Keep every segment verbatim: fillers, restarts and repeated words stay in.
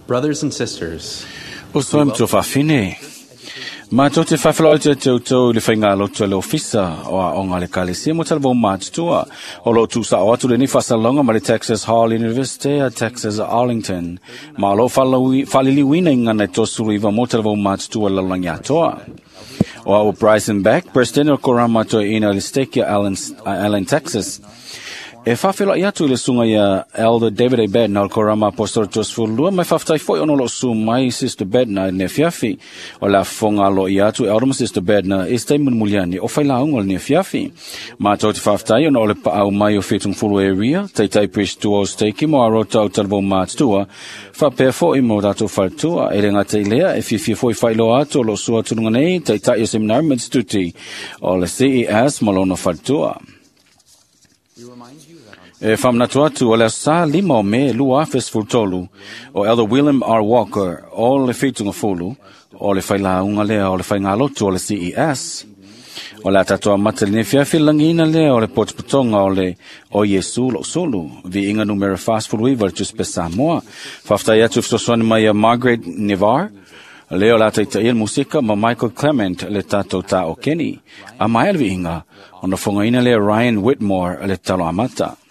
Brothers and sisters, O soe ma tuafafine. Matou te faafeiloai atu ia te outou i le faigalotu a le Ofisa o Aoga a le Ekalesia mo talavou matutua. O loo tuusao atu lenei faasalalauga mai le Texas Hall University a Texas Arlington. Ma o loo faaliliuina i gagana e tolusefulu iva mo talavou matutua i le lalolagi atoa. O au o Bryson Beck, President o le Korama Toeaina o le Stake ia Allen, Allen, Texas. E faafeiloai atu i le susuga ia Elder David A. Bednar o le Korama Aposetolo Toasefulu Lua, ma e faafetai foi ona o loo susu mai Sister Bednar i lenei afiafi. O le a fofoga aloaia atu e Elder ma Sister Bednar i se taimi mulimuli ane o failauga o lenei afiafi. Matou te faafetai ona o le paau mai o Fiatugafulu Area, Taitai Priest o Stake mo aro tau talavou matutua, faapea foi mo tatou faletua. E le gata i lea, e fiafia foi faailoa atu o loo sua atu luga nei Taitai o Seminari ma Instituti o le C E S ma lona faletua. E faamanatu atu o le aso Sa lima o Me lua afe sefulu tolu, o Elder William R. Walker o le Fiatugafulu o le failauga lea o le faigalotu o le C E S. O le a tatou amata i lenei afiafi lagiina lea o le potopotoga o le o Iesu Lou Sulu, viiga numera fasefulu iva le Tusi Pesa Samoa. Faafetai atu i fesoasoani mai ia Margaret Nevar, lea o le a taitaia le musika ma Michael Clement le tatou taokeni. A maea le viiga, ona fogaina lea Ryan Whitmore le talo amata. Yes.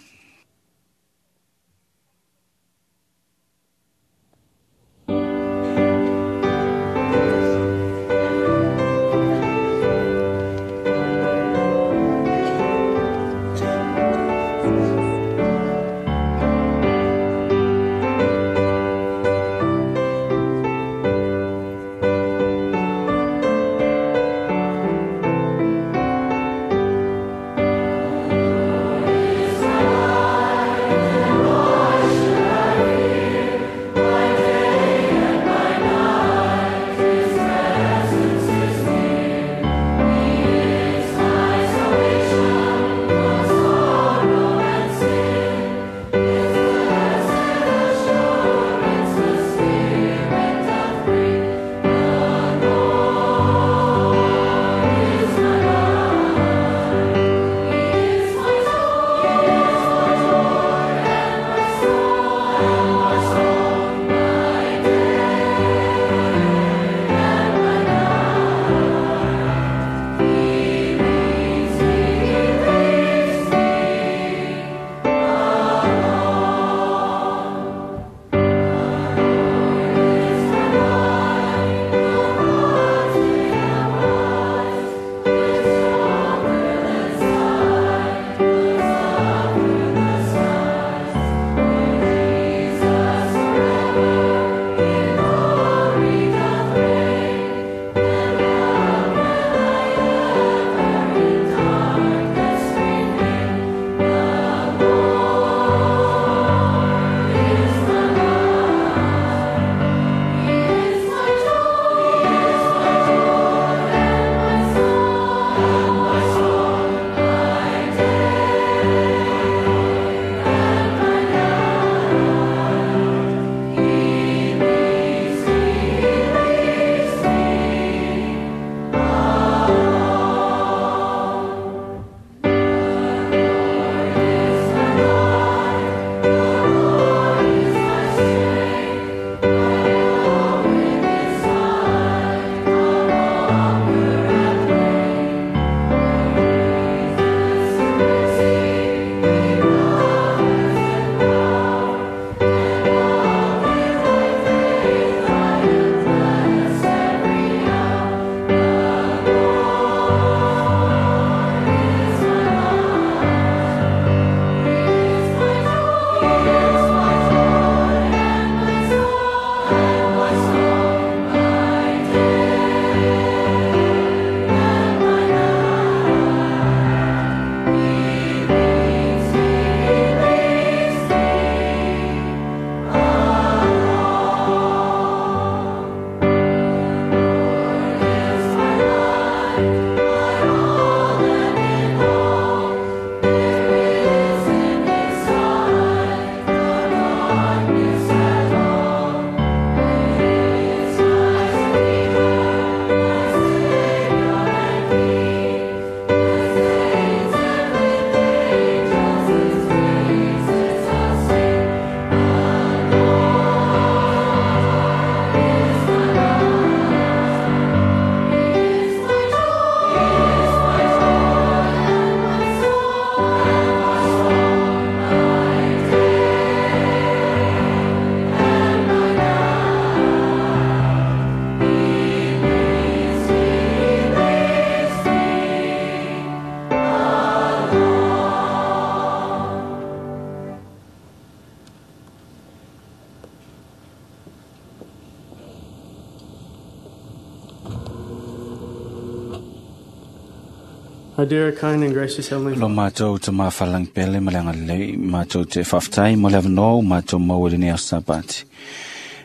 Our dear, kind, and gracious Heavenly Lo Father, mātou te māwhalangi pele ma le agalelei, mātou te whawhtai mo le awanoa mātou mau e lenei aso Sapati.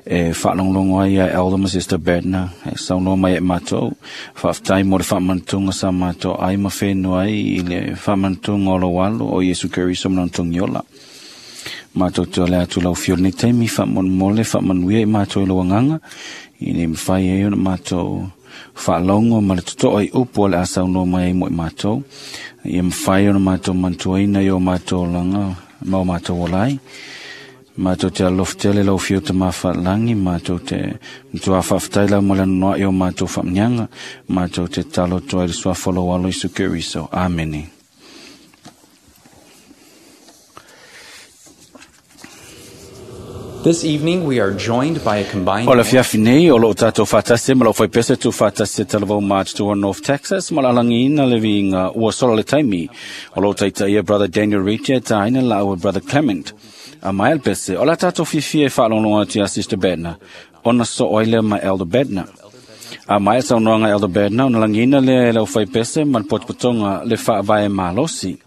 E whaalonglongo ai a Elder ma Sister Bednar, e saunoa mai e mātou, whawhtai mo le whaamantunga sa mātou ai ma whenua ai i le whaamantunga o lo walo o Yesu Keriso ma nontongi ola. Mātou te ole atu lau fio nei taimi, whaamonmole, whaamanuia i mātou i lo anganga, i nei mwhai e ona mātou whaalongo ma le toto ai upu o le a saunoa mai ai mo i mātou. Ia mwhai ona mātou mantuaina i o mātou langa, ma o mātou olai. Mātou te alofa tele lau fio te mawhalangi, mātou te matua whawhtai lau mo le noa i o mātou whamnyanga, mātou te talo toa i le suafa lo alo Isu Keriso. Amene. This evening we are joined by a combined O le fiafi nei, o loo tātou whātasi, ma lau whaipese tu whātasi talavau mātua North Texas, ma la alangi ina le viinga ua sola le taimi. O loo taita ia Brother Daniel Richard, tāina la ua Brother Clement. A mai pese, o la tātou fifi e whaalongo atu a Sister Bednar, ona so oile ma Elder Bednar. A mai saunoanga Elder Bednar, ona langina le lau whaipese ma le potopotonga le whaavae malosi.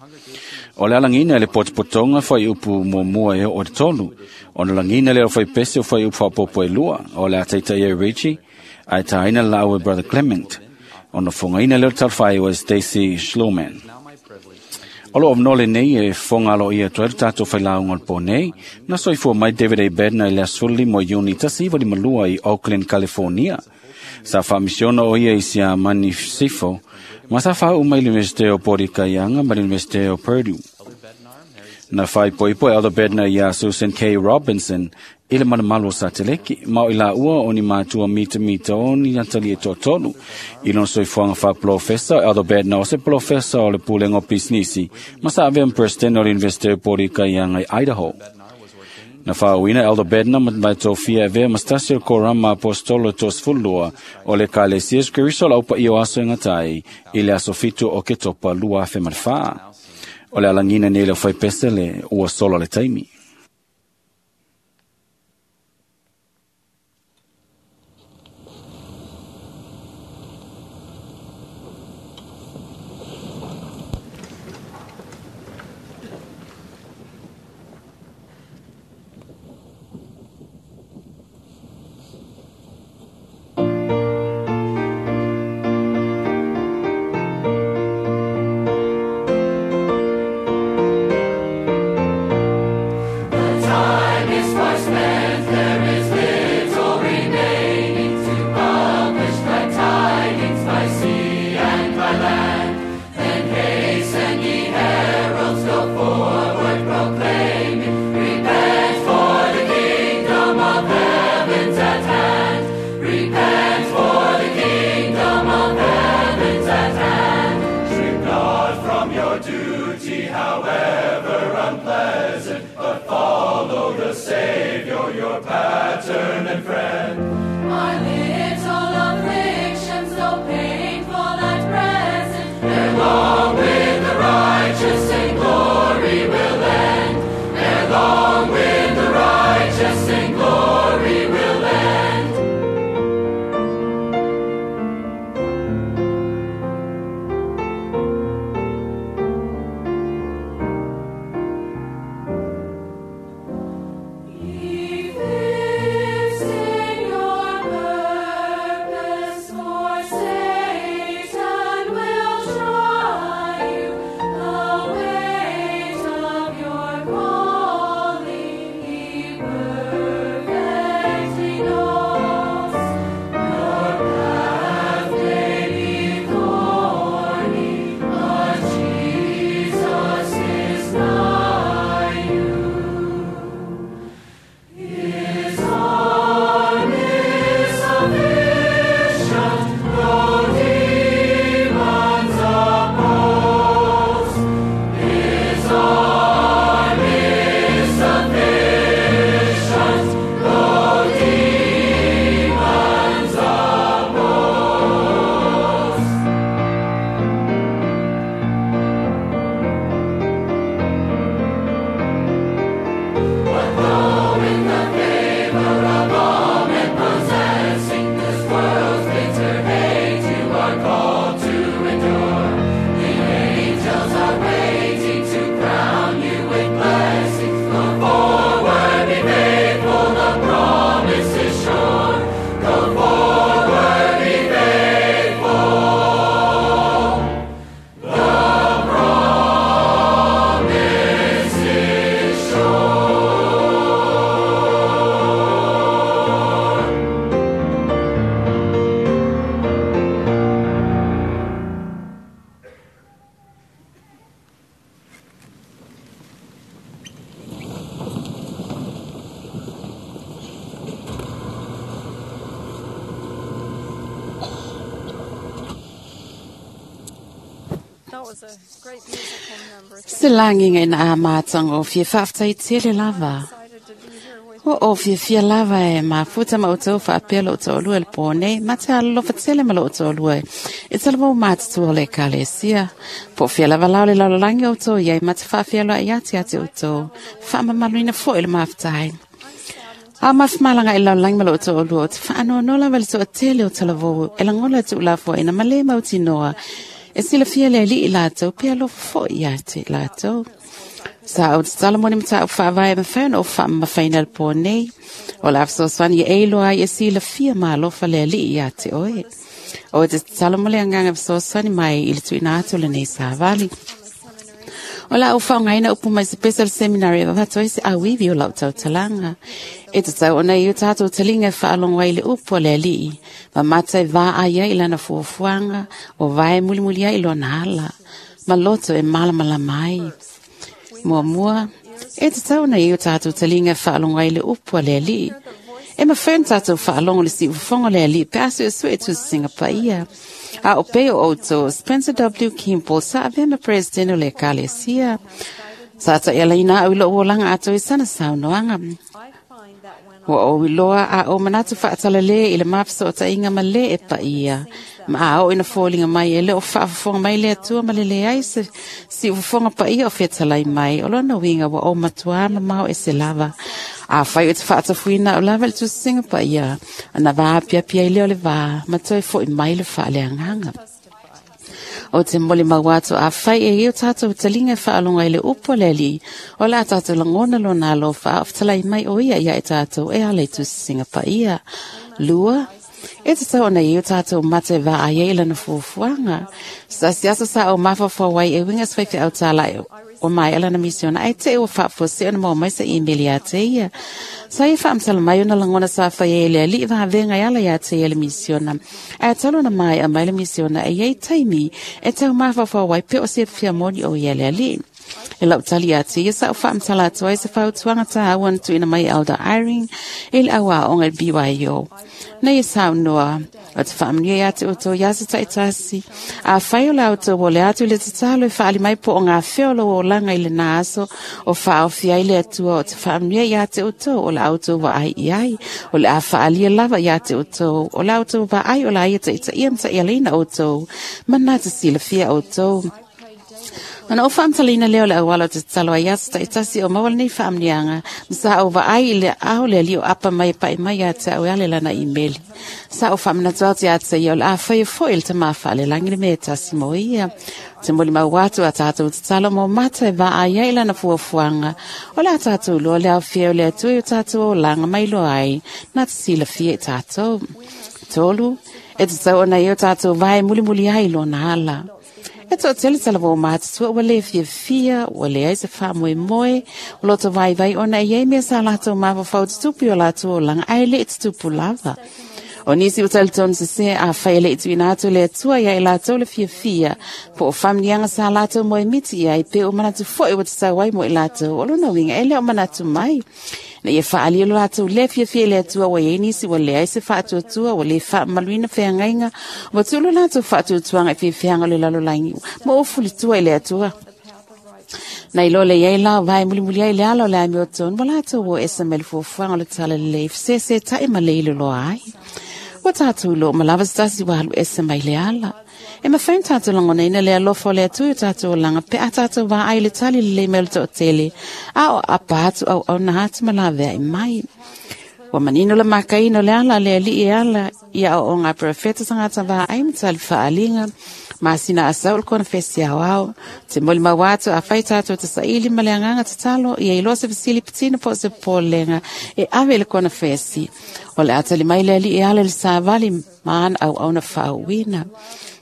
O le alangina le potopotonga whai upu mo mua e o te tolu. O na langina le o whai pese o whai upu whapopo e lua. O le ataita ia Richie, ai tāina la ua Brother Clement. O na fongaina le o talwhai o Stacy Schloman. O lo avnole nei e fonga lo ia toa tātou whailaunga o le pō nei, na soifua mai David A. Bednar i le asuli mo Iuni tasi iwa lima lua i Oakland, California. Sa whaamisiona o ia i sia mani sifo, ma sa whau mai le Universite o Pori Kaianga ma le Universite o Purdue. Na whai poipo Elder Bednar ia Susan K. Robinson i le malamalu o Sateleki, ma o i la ua o ni mātua mita mita o ni atali e tōtolu. I lona soifuaga faaprofesa, Elder Bednar o se profesa o le pulega o pisinisi, ma sa avea ma president o le Universite o Pori Kaianga i Idaho. Na whaauina Elder Bednar ma vaitofia avea ma stasi o le korama apostolo tosefululua o le Ekalesia Iesu Keriso lau paia o aso e gatai i le aso fitu o Ketopa lua afe ma le fā. O le alagina nei le whaipese le ua sola le taimi. If Se lagiga ina a matagofie faafetai tele lava. Ua ou fiafia lava e mafuta ma outou faapea lou toalua i le po nei, ma te alolofa tele ma lou toalua e talavou matutua o le Ekalesia. Po o fea lava la o le lalolagi outou iai ma te faafealoai atu ia te outou, faamamaluina foi le mafutaai. A mafumalaga i lalolagi ma lou toalua o te faanoanoa lava i le toatele o talavou e lagona le tuulafoaina ma lē mautinoa e silafia le Alii latou pe alofa foi ia te latou. Sa ou tatalo mo ni mataupu faavae e mafai ona ou faamamafaina i le po nei. O le a fesoasoani e iloa ai e silafia ma alofa le Alii ia te oe. O te tatalo mo le agaga fesoasoani mai i le tuuina atu o lenei savali. O le a ou faaaogaina upu mai se pese o le seminari e avatu ai se auivi o lau tautalaga. E tatau ona i o tatou taliga e faalogo ai i le upu a le Alii, ma mata e vaai ai i lana fuafuaga, o vae mulimuli ai i lona ala, ma loto e malamalama ai. Muamua, e tatau ona i o tatou taliga e faalogo ai i le upu a le Alii. E mafai ona tatou faalogo i le siufofoga o le Alii pe a suesue i tusisiga paia. A o pei o outou, Spencer W. Kimball sa avea ma Presidente o le Ekalesia. Sa ta'ialaina a'u i lo'u olaga atoa i sana saunoaga. Ua ou iloa a ou manatu fa'atalalē i le mafeso'ota'iga ma lē e paia, ma a oo ina foliga mai e lē o fa'afofoga mai le Atua ma le leai se si'ufofoga paia o fetalai mai, o lona uiga ua ou matuā mamao ese lava. Afai o te fa'atafuina a'u lava i le tusisiga paia, ona vaapiapi ai lea o le vā ma toe fo'i mai le fa'aleagaga. O te molimau atu afai e i o tatou taliga e faalogo ai i le upu a le Alii, o le a tatou lagona lona alofa a o fetalai mai o ia ia i tatou e ala i tusisiga paia. Lua, e tatau ona i o tatou mata e vaai ai i lana fuafuaga. Se tasi aso sa ou mafaufau ai e uiga se faifeau tāla'i o maea lana misiona ae te'i ua faafuasei ona maua mai se imeli ia te ia. Sa ia faamatala mai ona lagona sa fai ai e le Alii vavega e ala ia te ia le misiona. Ae talu ona maea mai le misiona e iai taimi e tau mafaufau ai pe o se fia moni o ia le Alii. E lau tali ia te ia sa ou faamatala atu ai se fautuaga tāua na tuuina mai e Elder Eyring i le auaoga i le B Y O. Na ia saunoa, o te faamanuia ia te outou ia se ta'itasi. Afai o le outou o le atu i le tatalo e fa'aali mai po o gafea o lou olaga i lenā aso o fa'aofi ai le Atua o te faamanuia ia te outou o la outou vaai i ai. O le a fa'alia lava ia te outou o la outou vaai o la ia ta'itaia ma ta'ialaina outou ma na te silafia outou. Ona ou faamatalaina lea o le auala o te tatalo ai aso ta'itasi o maua lenei faamanuiaga, ma sa ou vaai i le ao le Alii o apa mai e pa'i mai ia te a'u e ala i lana imeli. Sa ou faamanatu atu ia te ia o le a faia fo'i le tamā fa'alelagi le mea e tasi mo ia. Te molimau atu a tatou tatalo mo mata e vaai ai i lana fuafuaga, o le a tatou iloa le aofia o le Atua i o tatou olaga mai iloa ai, na te silafia i tatou. Tolu, e tatau ona i o tatou vae mulimuli ai i lona ala. E to'atele talavou matutua ua lē fiafia, ua leai se faamoemoe, o loto vaivai ona e iai mea sa latou mafaufau tutupu i o latou olaga ae le'i tutupu lava. O nisi ua talitonu sesē afai e le'i tuuina atu e le Atua ia i latou le fiafia, po o faamanuiaga sa latou moemiti i ai pe ua manatu fo'i ua tatau ai mo i latou, o lona uiga e lē o manatu mai. Na ia faalia lo latou lē fiafia i le Atua ua iai nisi ua leai se faatuatua, ua lē faamamaluina feagaiga, ua tuu lo latou faatuatuaga i fiafiaga o le lalolagi, ma ua fulitua i le Atua. Na iloa le iai la o vae mulimuli ai le ala o le amiotonu, ua latou o ese mai le fuafuaga o le talalelei feseseta'i ma le iloloa ai. Ua tatou iloa uma lava se tasi ua alu ese mai le ala. E mafai ona tatou lagonaina le alofa o le Atua i o tatou olaga pe a tatou vaai i le tali lelei mai o le toatele, a o aapa atu auauna atu ma laveai mai. Ua manino le makaina o le ala a le Alii e ala i aoaoga a perofeta tagata vaai ma tali faaaliga, masina a sau o le konefesi aoao. Te molimau atu afai tatou te saili ma le agaga tatalo, ia iloa se fesili patino po o se popolega e ave i le konefesi. O le a tali mai le Alii e ala i le savali ma ana auauna faauuina.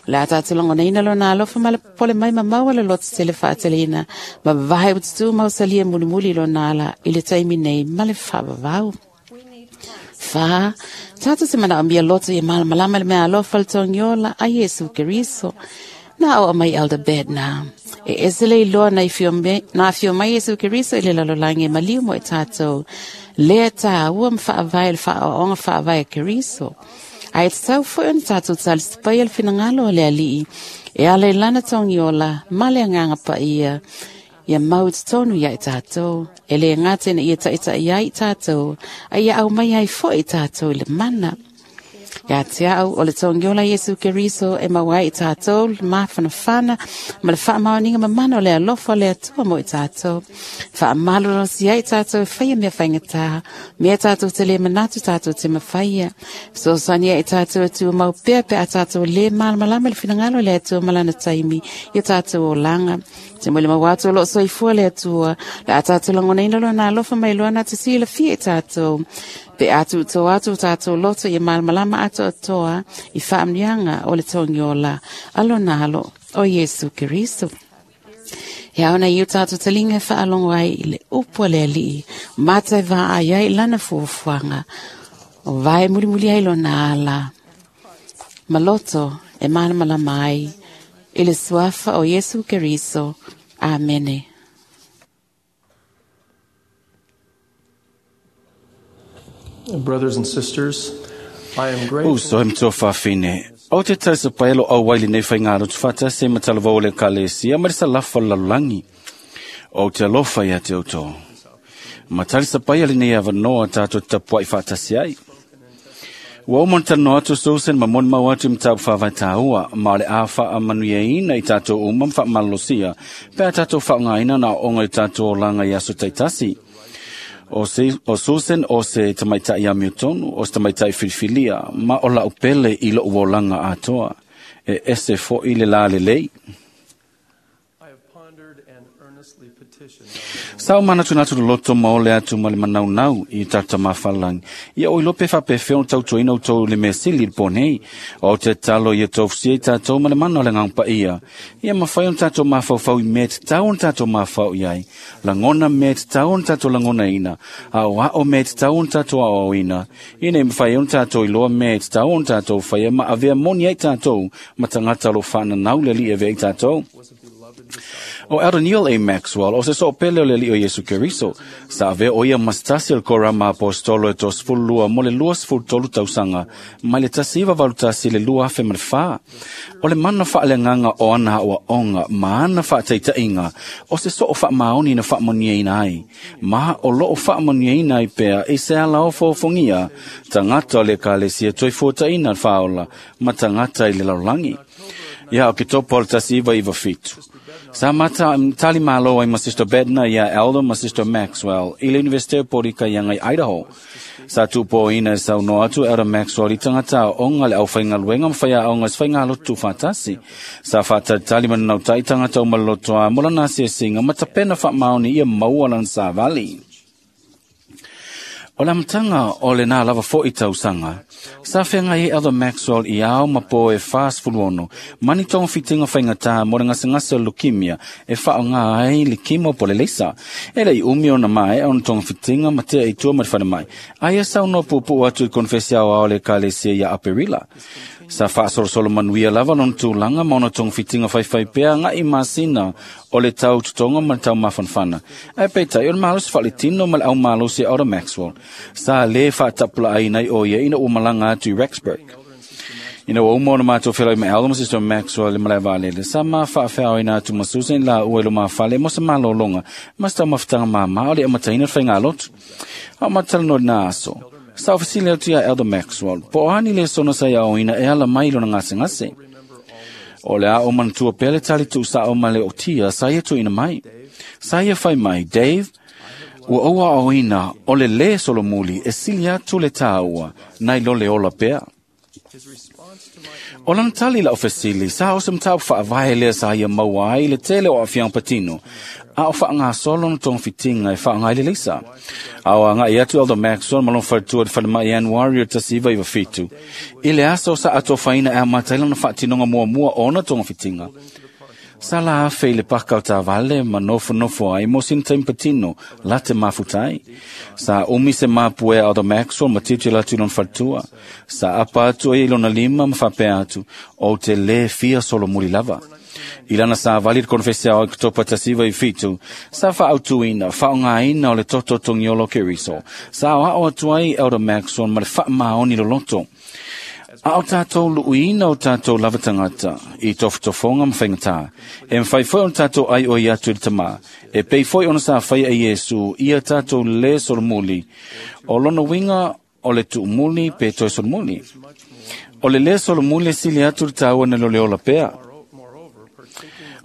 O le a tatou lagonaina lona alofa ma le popole mai ma maua le loto tele fa'ateleina, ma vavae ua tutū mausalia mulimuli i lona ala i le taimi nei ma le fa'avavau. Fa, tatou te manaomia loto ia malamalama i le mea alofa o le togiola a Iesu Keriso. Na aoa mai Elder Bednar. E ese le iloa na afio mai, na afio mai Iesu Keriso i le lalolagi e maliu mo i tatou. Lea tāua ma fa'avae i le fa'aoaoga fa'avae a Keriso. Ae tatau foi ona tatou talisapaia le finagalo o le Alii E ala i lana togiola, ma le agaga paia, ia mau i totonu ia i tatou, e le gata ina ia taʻitaʻi ai i tatou, a ia aumai ai foʻi i tatou i le mana. Ia te au o le togiola Iesu Keriso e maua ai i tatou le mafanafana ma le faamaoniga mamana o le alofa o le Atua mo i tatou. Faamalolosi ai i tatou e faia mea faigata, mea tatou te le manatu tatou te mafaia. Fesoasoani ai i tatou e tumau pea pe a tatou le malamalama i le finagalo o le Atua ma lana taimi i o tatou olaga. Te mo le mau atu o loo soifua le Atua, le a tatou lagonaina lona alofa mai loa na te silafia i tatou. Pe atu to atu tatou loto ia malamalama atoatoa i faamanuiaga o le togiola a lona alo o Iesu Keriso. E ao na i o tatou taliga e faalogo ai i le upu a le Alii, mata e vaai ai i lana fuafuaga, o vae mulimuli ai lona ala. Ma loto e malamalama ai i le suafa o Iesu Keriso. Amene. Brothers and sisters, I am grateful. Uso e mtoa fafine. O te tausa paelo au waili nei whaingaro tuwhata se matalavau le kalesia ma le salafa lalulangi. O te alofa ia te auto. Matali sa paia le nei avanoa tātou tapuai whaatasi ai. Ua o montano atu Susan ma mon mau atu mtau whawai tāua ma le a wha manuia ina i tātou uma mwha malolosia pea tātou whaongaina na onga i tātou olanga i aso taitasi. O, se, o Susan o se tamaitai a miutonu, o se tamaitai filifilia, ma o lau pele i lo uolanga atoa, e ese fo i le la le lei. I have pondered and earnestly petitioned Sa o mana tunatu loto ma ole atu ma le manau nau i tata mafalangi. Ia o ilope whapewheo tautoina o tau le mesili ponei. O te talo ia taufusia i tātou ma le mana o le ngangpa ia. Ia mawhai on tātou mawhauwhau i me te tau on tātou mawhau i ai. Langona me te tau on tātou langona ina. A o ao me te tau on tātou ao ina. Ina i mawhai on tātou i loa me te tau on tātou whaia ma avea moni ai tātou. Matangata lo whana nau le li e vea i tātou. O Elder Neil A. Maxwell, o se so pele o le li o Iesu Keriso, sa ave o ia mastasi el korama apostolo e tos fulua mo le lua sfultolu tausanga, mai le tasi iwa valu tasi le lua afe ma le wha. O le mana wha le nganga o ana o onga, ma ana wha teitainga, o se so o wha maoni na wha monia ina ai. Ma o lo o wha monia ina ai pea, e se ala o fōfongia, tangata o le kalesia toi fōta ina whaola, ma tangata i le laulangi. Ia o ke topo o le tasi iwa iwa fitu. Sa mata tali malo ai ma Sister Bedna ia Elder ma Sister Maxwell i le Universite o Porika ia ngai Idaho. Sa tupo ina sa uno atu Elder Maxwell i tangata o onga le au whaingaluenga mwhaia onga swhaingalo tu whatasi. Sa whatari mana nautai tangata o malolotoa mola nasi e singa matapena whatmaoni ia maua lan sa vali. O la mtanga o le nā lava fo i tausanga, sa whenga i Elder Maxwell i ao mapo e fast fuluono, mani tonga fitinga whaingata mo le ngasengase o leukemia e whao ngā ai le kimo po le leisa. E lei umi o na mae o na tonga fitinga matea i tua ma te mai. Aia sa uno pupu atu i konfesia o ao le kalesia ia Aperila. Sa whaasorosolo manuia lava lona tūlanga ma ona tonga fitinga whaiwhai pea ngā i masina o le tau tutonga ma le tau mafanfana. Ai peitai o le malosi whaletino ma le au malosi Elder Maxwell. Sa le whaatapula ai nei o ia ina umalanga atu i Rexburg. Ina ua uma ona mātou whelau ma Elder ma Sister Maxwell le malae vaalele. Sa ma whaawheao ina atu ma Susan la ua ilo mawhale mo sa malolonga. Ma sa mawhitanga māmā o le amataina whainga lotu. Au matala no nā aso. Sa ofisile atu ia Elder Maxwell. Po ani le sona sa ia oina e ala mai lona ngase ngase. O le a o manatua pele tali tu sa o male o tia sa ia tu ina mai. Sa ia whai mai, Dave, ua oa oina o le le solomuli e sili atu le tāua nai lo le ola pea. O lana tali la o fesili, sa o se mtau whaavae lea sa ia maua ai le tele o awhiang patino, a o wha ngā solo na tong fitinga e wha ngai le leisa. A o anga i atu Elder Maxwell malon whatua te whalemai Januari o tasi iwa iwa fitu. I le aso sa ato whaina e a mataila na whaatinonga mua mua o na tong fitinga. Sa la afe i le paka o tā vale ma nofo nofo ai mo sin taim patino la te mafutai. Sa umi se mapue Elder Maxwell ma titi la tu lon whatua. Sa apa atu e lona lima ma whapea atu o te le fia solo muri lava. I lana sa vali le konfesia o Oktopa tasiva i fitu, sa whaautuina, whaongaina o le toto tongiolo keriso. Sa o ao atu ai Elder Maxwell ma le whaamaoni loloto. A o tātou luuina o tātou lava tangata i tofotofonga ma whaingatā. E mwhai foi ona tātou ai o i atu i le tamā. E pei foi ona sa whai a Iesu ia tātou le solomuli. O lona winga o le tuumuli pe toi solomuli. O le le solomuli sili atu le tāua na lo le ola pea.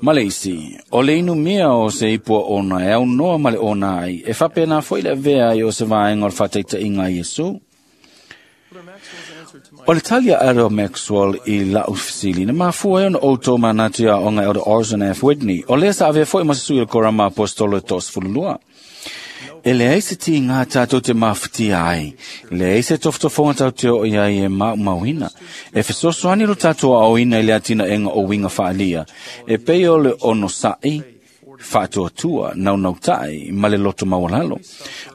Ma le isi, o le inu mia o se ipua ona e au noa ma le ona ai, e whapena foi le avea ai o se vaenga o le whataita inga Iesu. O le talia Elder Maxwell i la ufisili, na mafua e ona outou manatu ia onga Elder Orson F. Whitney, o lea sa avea foi ma se sui o le korama apostolo e toasefululua. E leai se ti ngā tātou te mafutia ai, leai se tofotofonga tau te o iai e mau mauina. E fesoasoani lo tātou aoina i le atina enga o winga whaalia. E pei o le ono sa'i, whaatuatua, naunautai, ma le loto maualalo.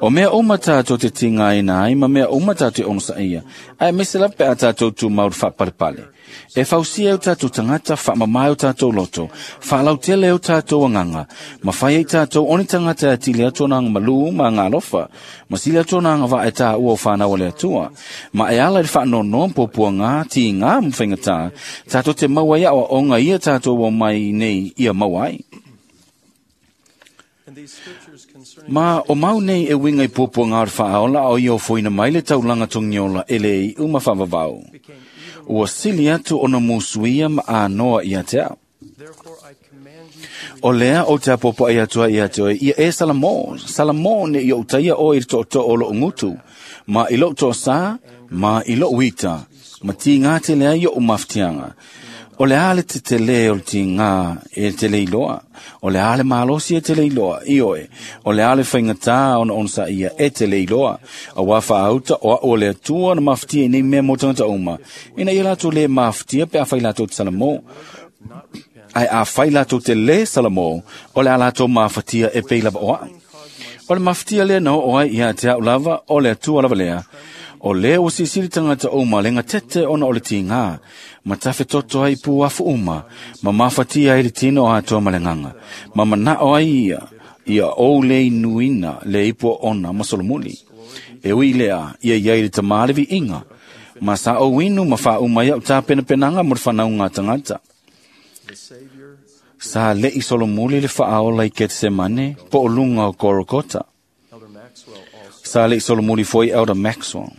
O mea uma tātou te tinga ina ai, ma mea uma tātou ono sa'ia. Ai mese la pe a tātou tu mauru whaparepale. E fausia o tātou tangata, whaamamae o tātou loto, whaalautele o tātou anganga, ma whai ai tātou oni tangata e tile atu nanga malu ma ngā alofa, ma sile atu nanga wa e tā ua o whanau o le atua, ma e ala i whaanono popua ngā ti ngā mwhaingatā, tātou te maua ia o onga ia tātou o mai nei ia maua ai. Ma o mau nei e winga i popua ngā whaaola o ia o foina mai le taulanga tongiola e le i uma whavavau. Ua sili atu ona musuia ma anoa ia te au. O lea o te apopo ai atua ia te oe, ia e Salamo, Salamo ne i o utaia o i to to o lo ngutu, ma i lo to sa, ma i lo uita, ma ti ngā te lea i o umaftianga. O le ale te te le o te ngā e te leiloa, o le ale malosi e te leiloa, i oe, o le ale whaingatā ona onsa ia e te leiloa, a wā whaauta o a o le atua na maftia i nei mea mō tangata uma, ina ia lātou le maftia pe a whai lātou te Salamo, ai a whai lātou te le Salamo, o le a lātou mafatia e pei lava oa. O le maftia lea na o ai ia te au lava, o le atua lava lea, o lea o sisili tangata uma lenga tete ona o le tingā, ma tafe toto ai pu afu uma, ma mafatia ai le tino o atoa ma le nganga, ma manao ai ia, ia o le inuina le ipu ona ma solomuli. E ui lea, ia ia i le tamalevi inga, ma sa o inu ma wha uma ia o tā penapenanga mo le whanaunga tangata. Sa le i solomuli le whaaola i Ketsemane, po o lunga o Korokota. Sa le i solomuli foi Elder Maxwell.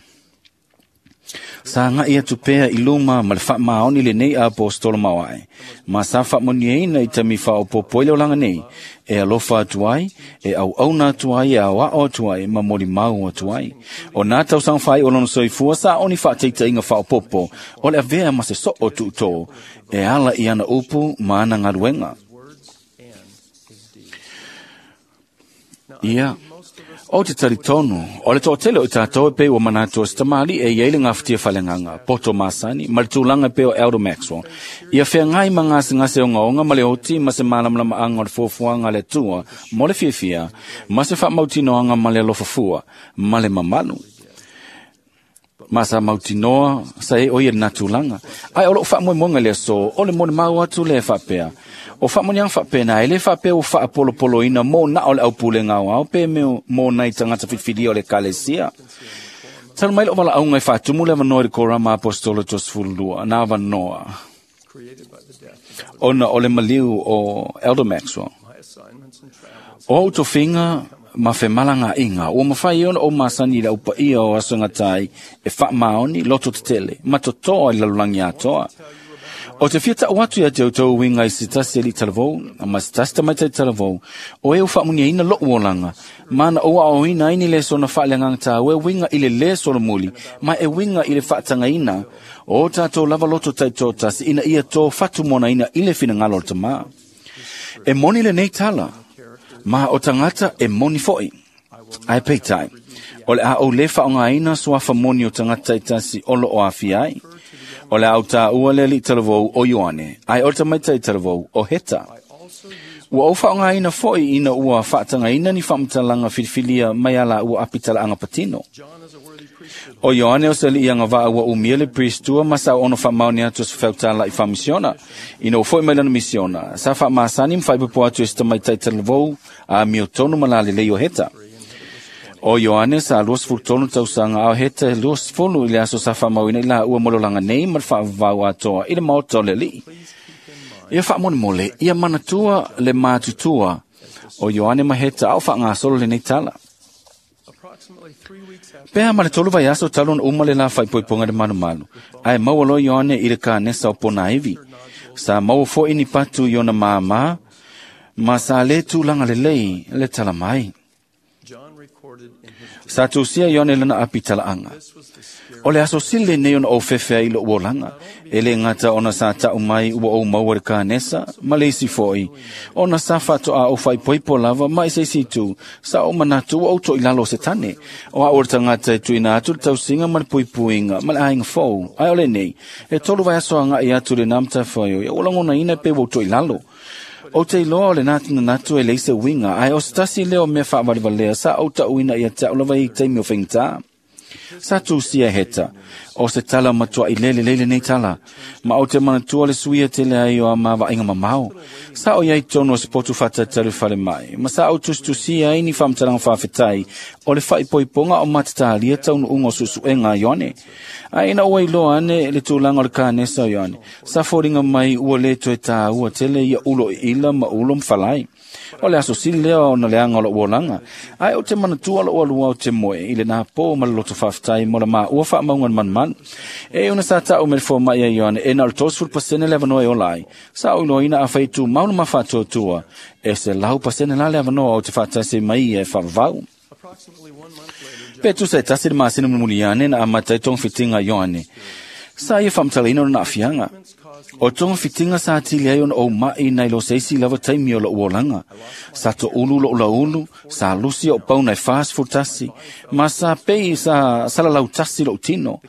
Sa ngā ia tupea i luma ma le whaamaoni le nei apostolo mawai. Ma sa whaamoniaina i tami whaopopo i le olanga nei. E alofa atu ai, e au auna atu ai, e au ao atu ai, ma moli mau atu ai. O nā tausanga whai o lono soifua sa oni whaateita inga whaopopo. O le avea ma se so o tuto. E ala i ana upu ma ana ngaruenga. Ia. O te taritonu, o le toatele o tātou e pe o manatu o sitamali e iei le ngawhitia whalenganga, poto masani, ma le tūlanga pe o Elder Maxwell. Ia whea ngai ma ngase ngase o ngaonga ma le oti ma se malamalama anga o le fuafuanga le tua, mo le fiafia, ma se whaamautinoanga ma le alofafua, ma le mamalu. Ma sa mautinoa sa e o ia nā tūlanga. Ai o lo whaamoemoenga le so, o le mone mau atu le whapea. O whaamonianga whapena, e le whapea o whaapolopolo ina mō na o le aupule ngau au, pe meo mō nei tangata whiwhiria o le kalesia. Talo mai lo wala aunga i whaatumu le wanoa i le korama apostolo tosfulua, nā wanoa. Ona o le maliu o Elder Maxwell. O autofinga ma whemalanga inga, o mawhai ona o masani la upa ia o asanga tai e whaamaoni loto tetele, ma totoa i lalulangi atoa. O te whiata o atu ia te autou winga i sitasi eli talavou, ma sitasi tamaita i talavou, o e o whaamunia ina lo uolanga, mana o ao ina ini le sona whaaleanganga tā, o e winga i le le solomuli, ma e winga i le whaatanga ina, o tātou lava loto taito tasi, ina ia tō whatumona ina i le whinangalo o tamā. E moni le nei tala, ma o tangata e moni foi. Ai peitai, o le a o le whaonga ina suafa moni o tangata i tasi olo o awhi ai. O le au tā ua le li talavou o Ioane, ai o tamaita i talavou o Heta. Ua o whaonga ina foi ina ua whaatanga ina ni whaamatalanga whiriwhiria mai ala ua apitala anga patino. O Ioane o se li ianga vaa ua umia le priestua ma sa ono whaamaoni atu se whautala i whamisiona. Ina o foi mai lana misiona, sa whaamasani mwhaipapo atu e se tamaita i talavou a mio tonu malale lei o Heta. O Ioane sa luasefulu tolu tausaga ao heta luasefulu i le aso sa faamauina i laua mo le olaga nei ma le faavavau atoa i le maota o le alii. Ia faamolemole, ia manatua le matutua o Ioane ma Heta ao faagasolo lenei tala. Pea ma le tolu vaiaso talu ona uma le la faaipoipoga le malumalu, ae maua loa Ioane i le kanesa o Ponaivi. Sa maua fo'i ni patu i ona māmā, ma sa lē tulaga lelei le tala mai. Sa tusia Ioane lana api talaaga. O le aso sili lenei ona ou fefe ai i lo'u olaga, e lē gata ona sa ta'u mai ua ou maua le kanesa, ma le isi fo'i, ona sa faato'a ou faaipoipo lava ma i se isi itu, sa ou manatu ua ou to'ilalo o Setane. O a'u o le tagata e tuuina atu le tausiga ma le puipuiga ma le aiga fou, ae o lenei, e tolu vaiaso aga'i atu lenā matafaioi, ua lagonaina pe ua ou to'ilalo. Ou te iloa o le natunanatu e leai se uiga, ae o se tasi lea o mea faavalevalea sa ou ta'uina ia te a'u lava i taimi o faigata. Sa tusia Heta, o se tala matua'i lelelei lenei tala, ma ou te manatua le suia tele ai o a mavaaiga mamao. Sa o iai tonu o se potu faatatalu falemai, ma sa ou tusitusia ai ni faamatalaga faafetai o le faaipoipoga o matatalia taunuuga o suesuega a Ioane. Ae ina ua iloa ane le tulaga o le kanesa o Ioane, sa foliga mai ua lē toe tāua tele ia ulo iila ma ulo ma falai. O le aso sili lea ona leaga o lo'u olaga, ae ou te manatua lo'u aluao te moe i lenā pō ma le loto faafetai mo le maua faamauga le manumalu. E ona sa ta'u me le foma'i a Ioane e na o le tolusefulu pasene le avanoa e ola ai. Sa ou iloaina afai tumau le mafaatuatua, e selau pasene la le avanoa ou te faatasi mai ia e faavavau. Pe tusa e tasi le masina mulimuli ane na amata ai togafitiga a Ioane. Sa ia faamatalaina ona aafiaga. O togafitiga sa atili ai ona ou ma'i nai lo se isi lava taimi o lo'u olaga. Sa to'ulu lo'u laulu, sa lusi o'u pauna e fasefulu tasi, ma sa pei sa salalautasi lo'u tino.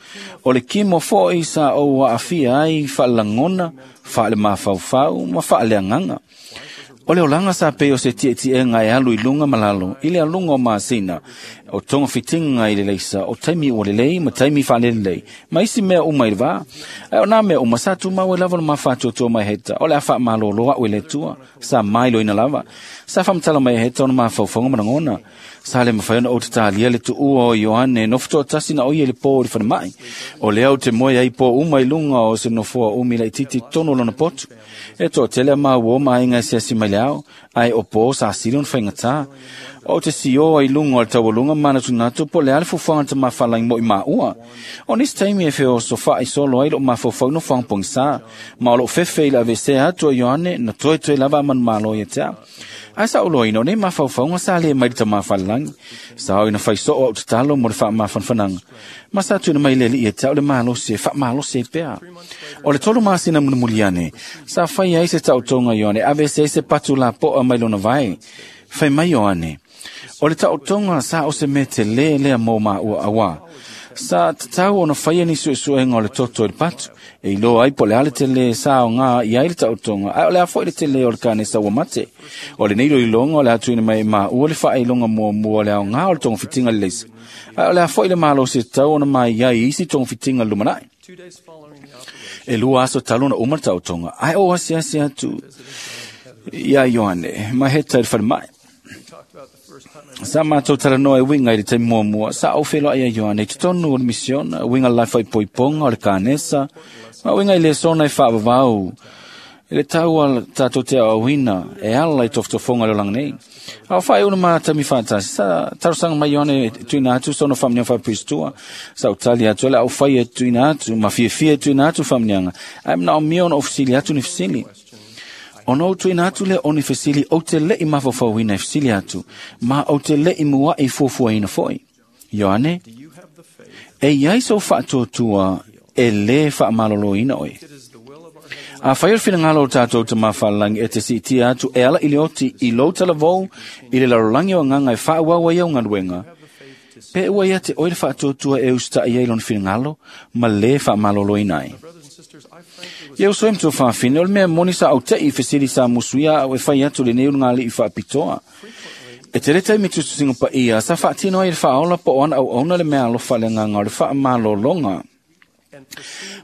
O le kimo fo'i sa ou aafia ai faalelagona, faalemafaufau ma faaleagaga. O le olaga sa pei o se ti'eti'ega e alu i luga ma lalo i le aluga o masina, o togafitiga i le leisa, o taimi ua lelei ma taimi faalelelei, ma isi mea uma i le vā. Ae o nā mea uma sa tumau ai lava le mafaatuatua mai Heta, o le a faamalōlō a'u e le Atua, sa mailoina lava. Sa faamatala mai e Heta ona mafaufauga ma lagona. Sa le mafai ona ou tatalia le tuua o Ioane nofo to'atasi na o ia i le pō i le falema'i. O lea ou te moe ai pō uma i luga o se nofoa umi laitiiti tonu o lona potu. E to'atele a mauō ma aiga e asiasi mai le ao, ae o pō sa sili ona faigata. O te sioa i luga o le taualuga manatunatu po o le a le fuafuaga a le tamafalagi mo i maua. O nisi taimi e feosofa'i solo ai lo'u mafaufau i nofoaga pogisā, ma o lo'u fefe i le avesea atu o Ioane na toetoe lava a manumalo ia te a'u. Ae sa ou loaina o nei mafaufauga sa lē mai le tamafalelagi. Sa o ina faiso'o a'u tatalo mo le faamafanafanaga, ma sa tuuina mai le alii ia te a'u le malosi e faamalosi ai pea. O le tolu masina mulimuli ane, sa fai ai se ta'otoga Ioane aveese ai se patu lapo'a mai lona vae. Fai mai Ioane, o le ta'otoga sa o se mea telē lea mo maua auā. Sa tatau ona faia ni suesuega o le toto i le patu, e iloa ai po o le a le telē sa aogā i ai le ta'otoga, ae o le a fo'i le telē o le kanesa ua mate. O lenei iloiloga o le a tuuina mai e maua le faailoga muamua o le aogā o le togafitiga le leisa, ae o le a fo'i le malosi e tatau ona mai ai i isi togafitiga le lumana'i. E lua aso talu ona uma le ta'otoga, ae ou asiasi atu iā Ioane ma Heta i le falema'i. Sa matou talanoa e uiga i le taimi muamua, sa ou feloa'i ia Ioane i totonu o le misiona, uiga le faaipoipoga o le kanesa, ma uiga i lesona e faavavau i le tau a tatou te aoaoina e ala i tofotofoga o le olaga nei. A o faaiuna ma taimi faatasi, sa talosaga mai Ioane e tuuina atu sona faamanuiaga faapiristua. Sa ou tali atu o le a ou faia e tuuina atu, ma fiafia e tuuina atu faamanuiaga, ae manaomia ona ou fesili atu ni fesili. Ona ou tuuina atu lea o ni fesili ou te le'i mafaufauina e fesili atu, ma ou te le'i mua'i fuafuaina fo'i. Ioane, e iai sou faatuatua e lē faamalōlōina oe. Afai o le finagalo o tatou tamafalelagi e te siitia atu e ala i le oti i lou talavou i le lalolagi o agaga e faaauau ai au galuega, pe ua ia te oe le faatuatua e usita'i ai lona finagalo ma lē faamalōlōina ai. Ia uso e matua faafine, o le mea moni sa au te'i i fesili sa musuia a'u e fai atu lenei ulugalii faapitoa. E tele taimi tusitusiga paia sa faatino ai le faaola po o ana auauna le mea alofa le agaga o le faamalōloga.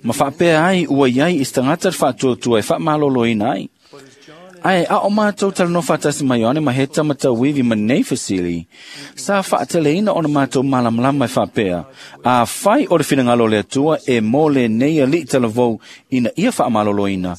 Ma faapea ai ua iai i se tagata le faatuatua e faamalōlōina ai. Ae a o mātou talanoa faatasi mai Ioane ma Heta ma tauivi ma nei fesili, sa faateleina ona mātou malamalama e faapea, afai o le finagalo o le Atua e mo lenei alii talavou ina ia faamaloloina,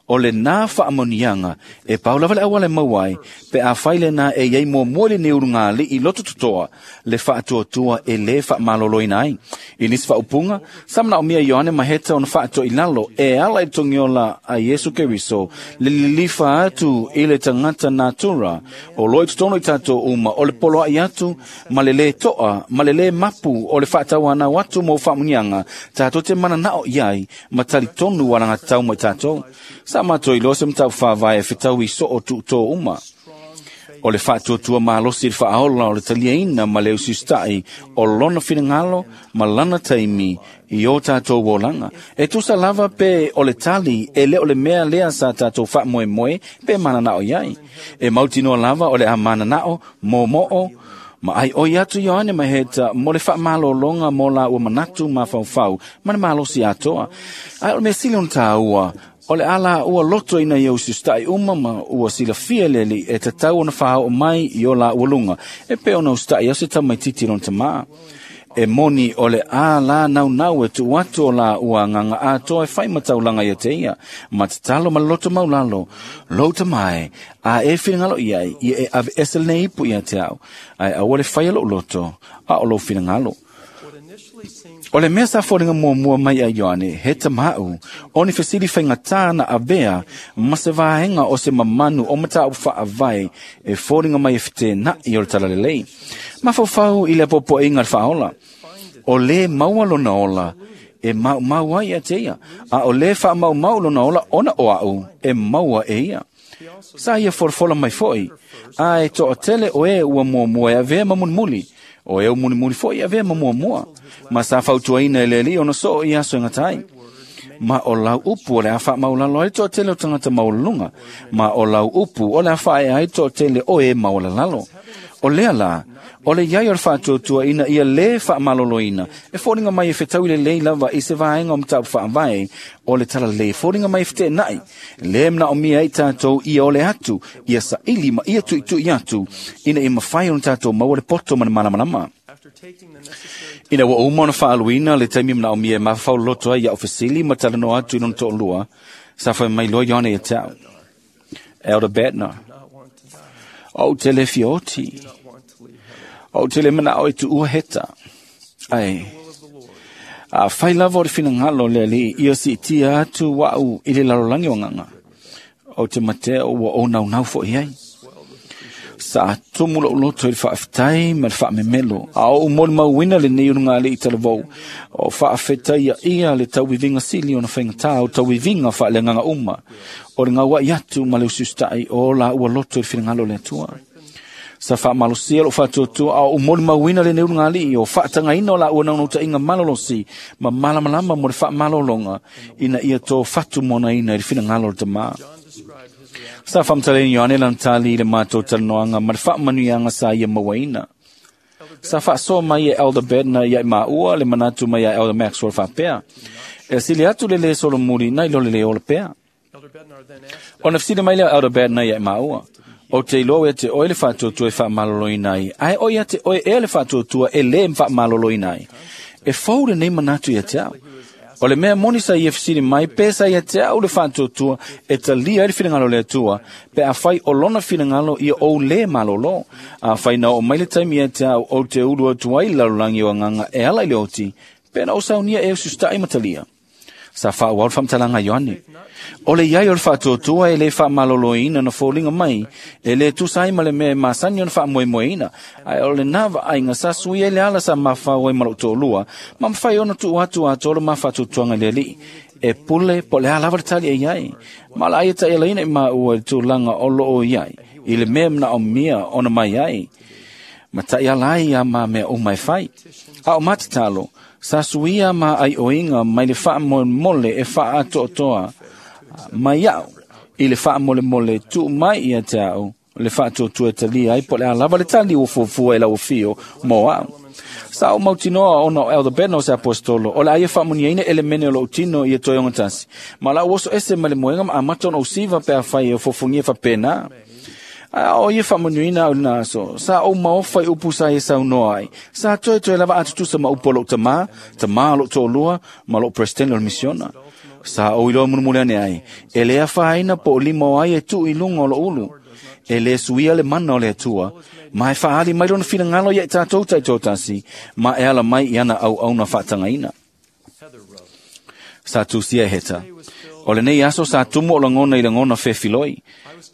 o lenā faamanuiaga e pau lava le auala e maua ai, pe afai lenā e iai muamua i lenei ulugalii loto totoa le faatuatua e lē faamaloloina ai. I nisi faaupuga, sa manaomia Ioane ma Heta ona faatoilalo e ala i le togiola a Iesu Keriso le lilifa atu i le tagata natura o lo o i totonu i tatou uma o le poloai atu ma le lē toa ma le lē mapu o le faatauanau atu mo faamanuiaga tatou te mananao i ai ma talitonu alagatau mai tatou. Sa mātou iloa se mataupu faavae e fetaui soo tuutō uma. O le faatuatua malosi i le faaola o le taliaina ma le usiusitai o lona finagalo ma lana taimi i o tatou olaga. E tusa lava pe o le tali e le o le mea lea sa tatou faamoemoe pe mananao i ai. E mautinoa lava o le a mananao, momoo, ma ai oi atu Ioane ma Heta mo le faamalologa mo la ua manatu mafaufau ma le malosi atoa. Ae o le mea sili ona tāua, o le ala ua loto ina ia usiusitai uma ma ua silafia le alii e tatau ona faaoo mai i o la ua luga, e pei ona usitai au se tamaititi lona tamā. E moni o le a la naunau e tuu atu o la ua agaga atoa e fai ma taulaga ia te ia, ma tatalo ma le loto maulalo, lou tamae, a e finagalo i ai, ia e aveese lenei ipu ia te au, ae aua le faia lou loto, a o lou finagalo. O le mea sa foliga muamua mai a Ioane, he tamau, o ni fesili faigatā na avea ma se vaega o se mamanu o mataupu faavae e foliga mai e fetenaʻi o le talalelei. Mafaufau i le apoapoaiga a le faaola, o lē maua lona ola e maumau ai ia te ia, a o lē faamaumau lona ola ona o au e maua e ia. Sa ia folafola mai foi, a e toatele o e ua muamua e avea ma mulimuli, o e mulimuli foi e avea ma muamua, ma sa fautuaina e le alii ona soo i aso e gata ai. Ma o lau upu o le a faamaulalo ai toatele o tagata maualuluga, ma o lau upu o le a faaea ai toatele o e maualalalo. O lea la, o le iai o le faatuatua ina ia lē faamaloloina, e foliga mai e fetaui lelei lava i se vaega o mataupu faavae o le talalelei, e foliga mai e feteenai, lē manaomia ai tatou ia ole atu, ia saili ma ia tuitui atu, ina ia mafai ona tatou maua le poto ma le malamalama. Ina ua uma ona faaluina le taimi manaomia e mafaufau loto ai ia'u fesili ma talanoa atu i lona toalua, sa fai mai loa Ioane ia te au. Elder Bednar, ou te le fioti, ou te le manao e tuua Heta. Ai, a fai lava o le finagalo le alii ia siitia atu wa'u i le lalolagi o agaga, ou te matea ua ou naunau fo'i ai. Sa tumu lou loto i le faafetai ma le faamemelo, a ou molimauina lenei ulugalii talavou, o faafetaia ia le tauiviga sili ona faigatā o tauiviga faaleagaga uma, o le gaua'i atu ma le usiusitai o la ua loto i le finagalo o le Atua. Sa faamalosia lou faatuatua a ou molimauina lenei ulugalii o faatagaina o la ua naunautaiga malolosi ma malamalama mo le faamalologa ina ia tofatumonaina i le finagalo o le tamā. Sa faamatalaina Ioane lana tali i le matou talanoaga ma le faamanuiaga sa ia mauaina. Sa faasoa mai e Elder Bednar ia i maua le manatu mai ia Elder Maxwell faapea, e sili atu le lē solomuli nai lo le lē ola pea. Ona fesili mai lea o Elder Bednar ia i maua, o te iloa ia te oe le faatuatua e faamaloloina ai, ae o ia te oe ea le faatuatua e lē faamaloloina ai. E fou lenei manatu ia te au. O le mea moni sa ia fesili mai, pe sa ia te au le faatuatua e talia ai le finagalo o le Atua, pe afai o lona finagalo ia ou lē malolo. Afai na oo mai le taimi ia te au ou te ulu atu ai le lalolagi o agaga e ala i le oti, pe na ou saunia e usiusitai ma talia. Sa faaauau le faamatalaga a Ioane. O le iai o le faatuatua e lē faamaloloina na foliga mai, e lē tusa ai ma le mea e masani ona faamoemoeina, ae o lenā vaaiga sa sui ai le ala sa mafau ai ma lou toalua, ma mafai ona tuu atu atoa le ma faatuatuaga i le alii. E pule po o le a lava le tali e iai, ma o le a ia taʻialaina i maua i le tulaga o loo iai, i le mea manaomia ona mai ai, ma taʻiala ai ia ma mea uma e fai. A o matatalo, sa suia ma aioiga mai le faamolemole e faaatoatoa mai au i le faamolemole tuu mai ia te au le faatuatua e talia ai po o le a lava le tali ua fuafua e lau afio mo au. Sa o mautinoa ona o Elder Bednar o se apostolo, o le aia faamuniaina elemene o lou tino ia toe ogatasi. Ma la oso ese ma le moega ma amata ona usiva pe afai e ofofogia faapena. A o ia faamanuiina au i lena aso, sa ou maofa i upu sa ia saunoa ai. Sa toetoe lava atutusa ma upu a lou tamā, tamā o lou toalua, ma lou presidente o le misiona. Sa ou iloa mulimuli ane ai, e le afaina po o lima o ai e tuu i luga o lou ulu. E le suia le mana o le Atua, ma e faaali mai lona finagalo ia i tatou taitoatasi, ma e ala mai i ana auauna faatagaina. Sa tusia e Heta. O lenei aso sa tumu o lagona i lagona fefiloi.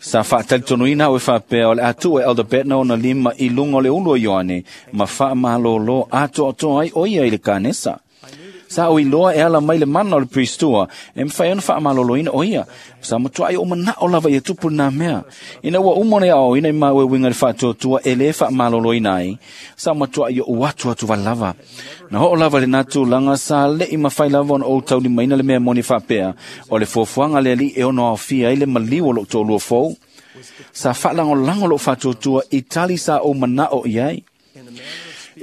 Sa faatalitonuina au e faapea o le a tuu e Elder Bednar ona lima i luga o le ulu o Ioane, ma faamalōlō atoatoa ai o ia i le kanesa. Sa o iloa e ala mai le mana o le priestua, e mawhai ona whaamaloloina o ia. Sa matuai o manao lava ia tupu nā mea. Ina ua uma ona ia ina i maue winga le whaatuatua e le whaamaloloina ai. Sa matuai o uatu atu wale lava. Na hoo lava le natu langa sa le i mawhai lava ona o tauli maina le mea moni whaapea. O le fuafuaga le ali e ono aofia ai le maliu o lou toalua fou. Sa whaalangolango lou whaatuatua i tali sa o manao i ai.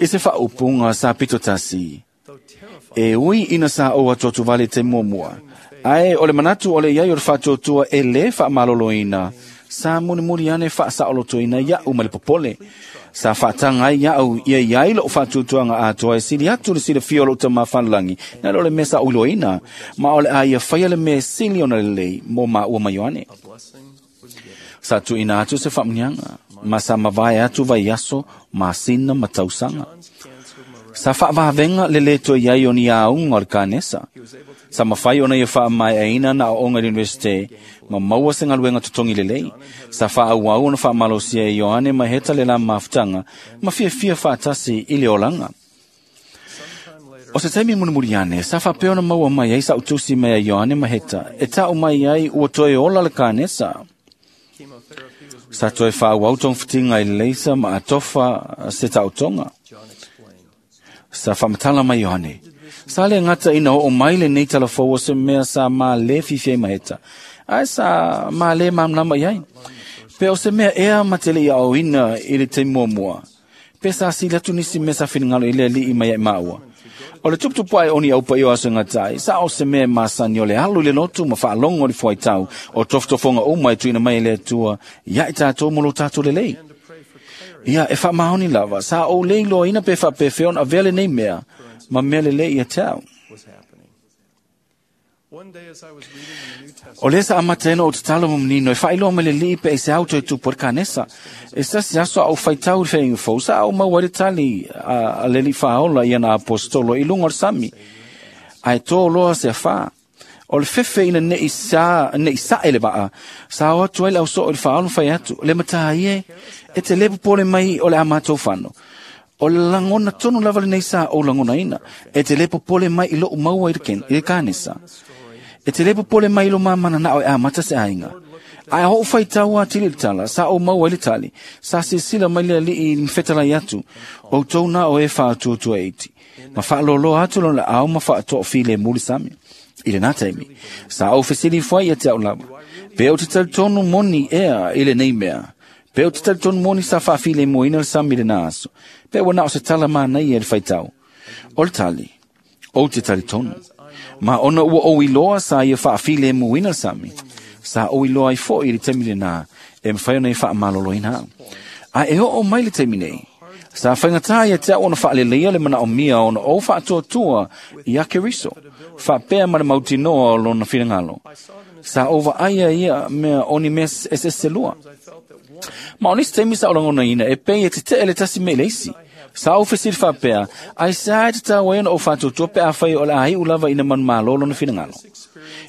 I se whaaupunga sa pito tasi. E ui ina sa o atu vale te muamua. Ae o le manatu o le iai o le whaatuatua e le whaamaloloina. Sa mulimuli ane whaasaolotoina iau ma le popole. Sa whaatanga ai iau ia iai lou whaatuatuanga atoa e sili atu le silafia o lou tamā whanalangi. Na lo le mea sa uiloina. Ma o le a ia whaia le mea sili ona lelei mo maua mai Ioane. Sa tuuina atu se faamuniaga. Ma sa mavae atu vaiaso, masina ma tausaga. Sa faavavenga le le toe iai o ni auga o le kanesa. Sa mafai ona ia faamaeaina na aoga i le universite, ma maua se galuega totogi lelei. Sa faaauau ona faamalosia e Ioane ma Heta le la mafutaga, ma fiafia faatasi i le olaga. O se taimi mulimuli ane, sa faapea ona maua mai ai sa'u tusi mai a Ioane ma Heta, e ta'u mai ai ua toe ola le kanesa. Sa toe faaauau togafitiga i le leisa ma atofa se taotoga. Sa faamatala mai Ioane. Sa le gata ina oo mai lenei talafou o se mea sa malē fiafia ai ma Heta, ae sa malē malamalama i ai. Pe o se mea ea ma te leʻi aoina i le taimi muamua. Pe sa sili atu nisi mea sa finagalo i le alii mai ai maua. O le tuputupu ae o ni aupaia o aso e gata ai, sa o se mea e masani o le alu i le lotu ma faalogo i le fuaitau o tofotofoga uma e tuuina mai e le Atua ia i tatou mo lo tatou lelei. Ia, e faamaoni lava, sa ou le iloaina pe faapefea ona avea lenei mea, ma mea lelei ia te au. O lea sa amata ai ona ou tatalo ma manino e faailoa mai le alii pe ai se au toe tupu ai le kanesa. E se tasi aso a ou faitau i le feaiga fou, sa ou maua ai le tali a, a le alii faaola i ana apostolo i luga o le sami. Ae tō loa se afā. O le fefe ina neʻi sa, neʻi saʻe le vaa, sa o atu ai le ausoo i le faaola ma fai atu, le matā ia e te le popole mai o le a matou fano. O le lagona tonu lava lenei sa ou lagonaina, e te le popole mai i lou maua i le, ken, i le kanesa. E te le popole mai i lo mamananao e amata se aiga. Ae hoo faitau atili i le tala, sa ou maua ai le tali, sa silasila mai le alii i mafetalai atu, outou na o e faatuatua iti. Ma faaloloa atu lona laau ma faatoafilemu le sami. I lena taimi, sa ou fesili ifo ai ia te au lava. Pe ou te talitonu moni ea i lenei mea. Pe ou te talitonu moni sa faafilemuina le sami i lena aso. Pe ua na o se tala manaia i le faitau. O le tali, ou te talitonu. Ma ona ua ou iloa sa ia faafilemuina le sami. Sa ou iloa ai foʻi i le taimi lenā, e mafai ona ia faamaloloina au. Ae e oo mai le taimi nei. Sa faigata ia te au ona faaleleia le manaomia ona ou faatuatua ia Keriso, faapea ma le mautinoa o lona finagalo. Sa ou vaaia ia mea o ni mea eseese lua. Ma o nisi taimi sa ou lagonaina e pei e tetee le tasi mea i le isi. Sa ou fesili faapea, ai sa e tatau ai ona ou faatuatua pe afai o le a iu lava ina manumalo lona finagalo.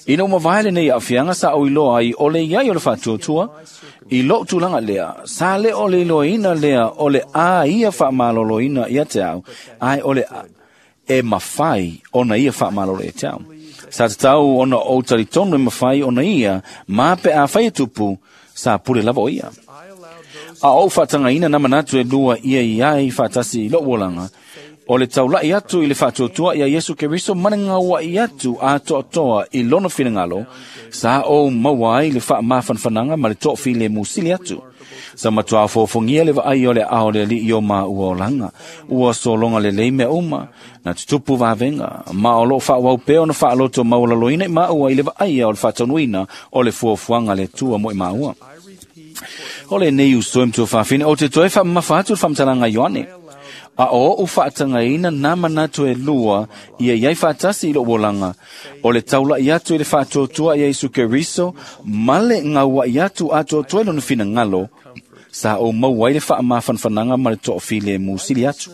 Ina ua mavae lenei aafiaga sa ou iloa ai o le iai o le faatuatua, i lou tulaga lea, sa le o le iloaina lea o le a ia faamaloloina ia te au, ae o le a, e mafai ona ia faamalolo ia te au. Sa tatau ona ou talitonu e mafai ona ia, ma pe afai e tupu, sa pule lava o ia. A ou faatagaina na manatu e lua ia i ai faatasi i lou olaga, o le taulaʻi atu i le faatuatua ia Iesu Keriso ma le gauaʻi atu atoatoa i lona finagalo, sa ou maua ai le faamafanafanaga ma le toafilemu sili atu. Sa matua fofongia le vaai o le ao le alii o maua olaga, ua sologa lelei mea uma, na tutupu vavega, ma o loo faaauau pea ona faaloto maualaloina i maua i le vaaia o le faataunuina o le fuafuaga a le Atua mo i maua. O lenei uso e matuafaafine, ou te toe faamamafa atu le faamatalaga a Ioane. A o oʻu faatagaina na manatu e lua ia iai faatasi i loʻu olaga, o le taulaʻi atu i le faatuatua ia Iesu Keriso ma le gauaʻi atu atoatoa i lona finagalo, sa ou maua ai le faamafanafanaga ma le toafilemu sili atu.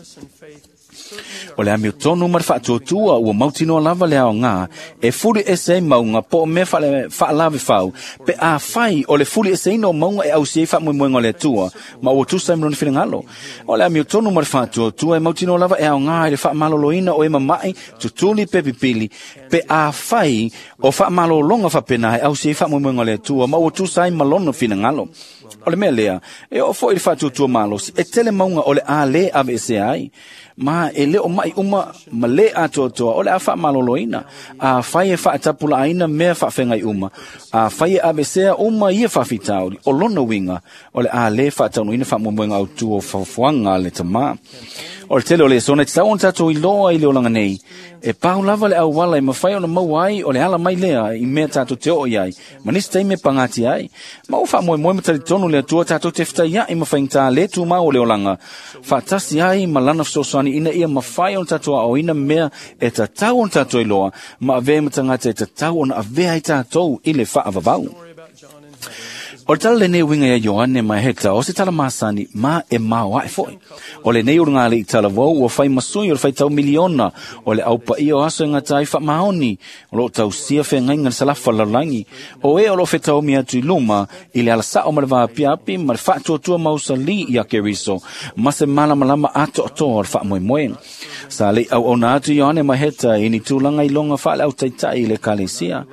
O le amiotonu ma le faatuatua ua mautinoa lava le aogā e fuli ese ai mauga po o mea faalavefau, pe afai o le fuli eseina o mauga e ausia ai faamoemoega o le Atua ma ua tusa ai ma lona finagalo. O le amiotonu ma le faatuatua e mautinoa lava e aogā i le faamaloloina o e mamaʻi, tutuli pe pipili, pe afai o faamalologa faapena e ausia ai faamoemoega o le Atua ma ua tusa ai ma lona finagalo. O le mea lea, e oo foi i le faatuatua malosi, e tele mauga o le a lē aveesea ai, ma e le o mai uma ma lē atoatoa o le a faamaloloina. Afai e faatapulaaina mea faafegai uma, afai e aveesea uma ia faafitauli, o lona uiga o le a lē faataunuuina faamoemoega autū o faofoaga a le Tamā. O le tele o lesona e tatau ona tatou iloa i le olaga nei, e pau lava le auala e mafai ona maua ai o le ala mai lea i mea tatou te oo i ai, ma nisi taimi e pagatia ai. Ma ua faamoemoe ma talitonu le Atua tatou te fetaiaʻi ma faigata lē tumau o le olaga, faatasi ai ma lana fesoasoani ina ia mafai ona tatou aoaoina mea e tatau ona tatou iloa, ma avea ma tagata e tatau ona avea ai tatou i le faavavau. O le tala lenei uiga ia Ioane ma Heta, o se tala masani ma e maoaʻe foʻi. O lenei ulugalii talavou ua fai masui o le faitau miliona o le aupaia o aso e gata ai faamaoni, o loo tausia feagaiga le salafa lalolagi. O e o loo fetaomi atu i luma i le alasao ma le vaapiapi ma le faatuatua mausali ia Keriso, ma se malamalama atoatoa o le faamoemoe. Sa leʻi auauna atu Ioane ma Heta i ni tulaga iloga faaleautaitaʻi i le ekalesia.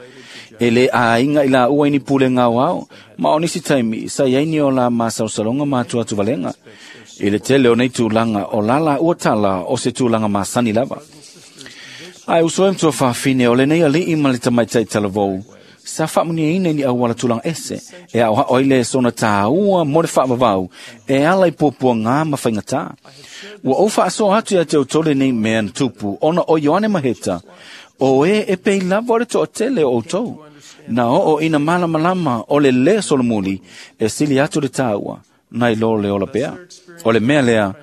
E lē aiga i laua i ni pulega aoao, ma o nisi taimi sa iai ni o la masalosaloga ma atuatu valega. I le tele o nei tulaga o la laua tala o se tulaga masani lava. Ae uso e matuafaafine, o lenei alii ma le tamaitaʻi talavou, sa faamuniaina i ni auala tulaga ese, e aoaʻo ai le sona tāua mo le faavavau, e ala i puapuagā ma faigatā. Ua ou faasoa atu ia te outou lenei mea na tupu, ona o Ioane Maheta, o e e pei lava o le toatele o outou, na oo ina malamalama o le lē solomuli e sili atu le tāua, nai lo le ola pea. O le mea lea,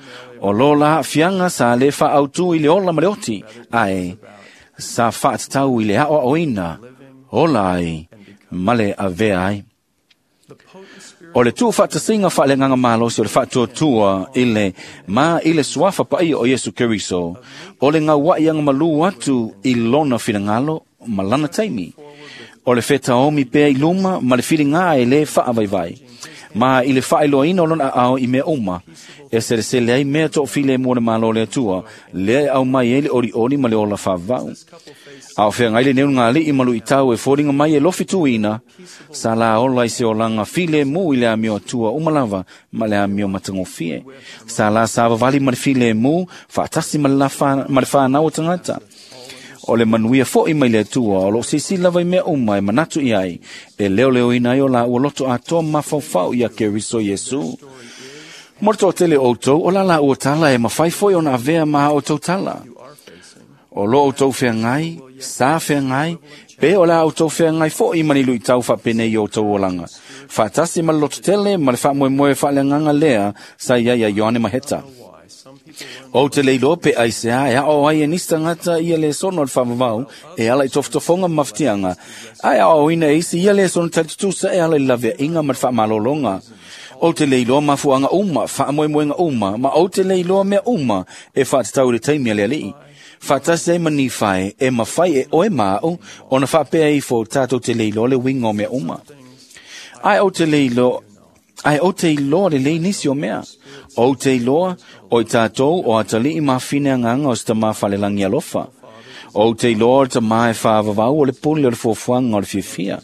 o lo la aafiaga sa lē faaautū i le ola ma le oti, ae sa faatatau i le aoaoina ola ai ma le avea ai. O le tuufaatasiga faaleagaga malosi o le faatuatua i le ma i le suafa paia o Iesu Keriso, o le gauaʻi agamalū atu i lona finagalo ma lana taimi. O le fetaomi pea i luma ma le filigā e lē faavaivai, ma i le faailoaina o lona aao i mea uma, e selesele ai mea toofilemu o le Malo o le Atua, lea e aumai ai le olioli ma le ola faavavau. A o feagai lenei ulugalii ma luitau e foliga mai e lofi tuina, sa la ola i se olaga filemu i le amio Atua uma lava ma le amio matagofie. Sa la savavali ma le filemu, faatasi ma le fanau o tagata. O le manuia foʻi mai le Atua, o loo silasila lava i mea uma e manatu i ai, e leoleoina ai o laua loto atoa mafaufau ia Keriso Iesu. Mo le toatele o outou, o la laua tala e mafai foi ona avea ma a outou tala. O lo outou feagai, sa feagai, pe o le a outou feagai foʻi ma ni luitau faapenei i outou olaga. Faatasi ma le lototele ma le faamoemoe faaleagaga lea sa iai ia Ioane Maheta. Ou te le iloa pe aisea e aʻo ai e nisi tagata ia lesona o le faavavau e ala i tofotofoga ma mafatiaga, ae aoaoina e isi ia lesona talitutusa e ala i le laveaiga ma le faamalologa. Ou te le iloa mafuaaga uma, faamoemoega uma, ma ou te le iloa mea uma e faatatau i le taimi a le alii. Faatasi ai ma Nifae e mafai e oe ma aʻu ona faapea ifo tatou te le iloa le uiga o mea uma. Ae ou te le iloa Ae ou te iloa lelei nisi o mea. Ou te iloa, o i tatou o atalii mafine agaga o se tamā falelagi alofa. Ou te iloa o le tamā e faavavau o le pule o le fuafuaga o le fiafia.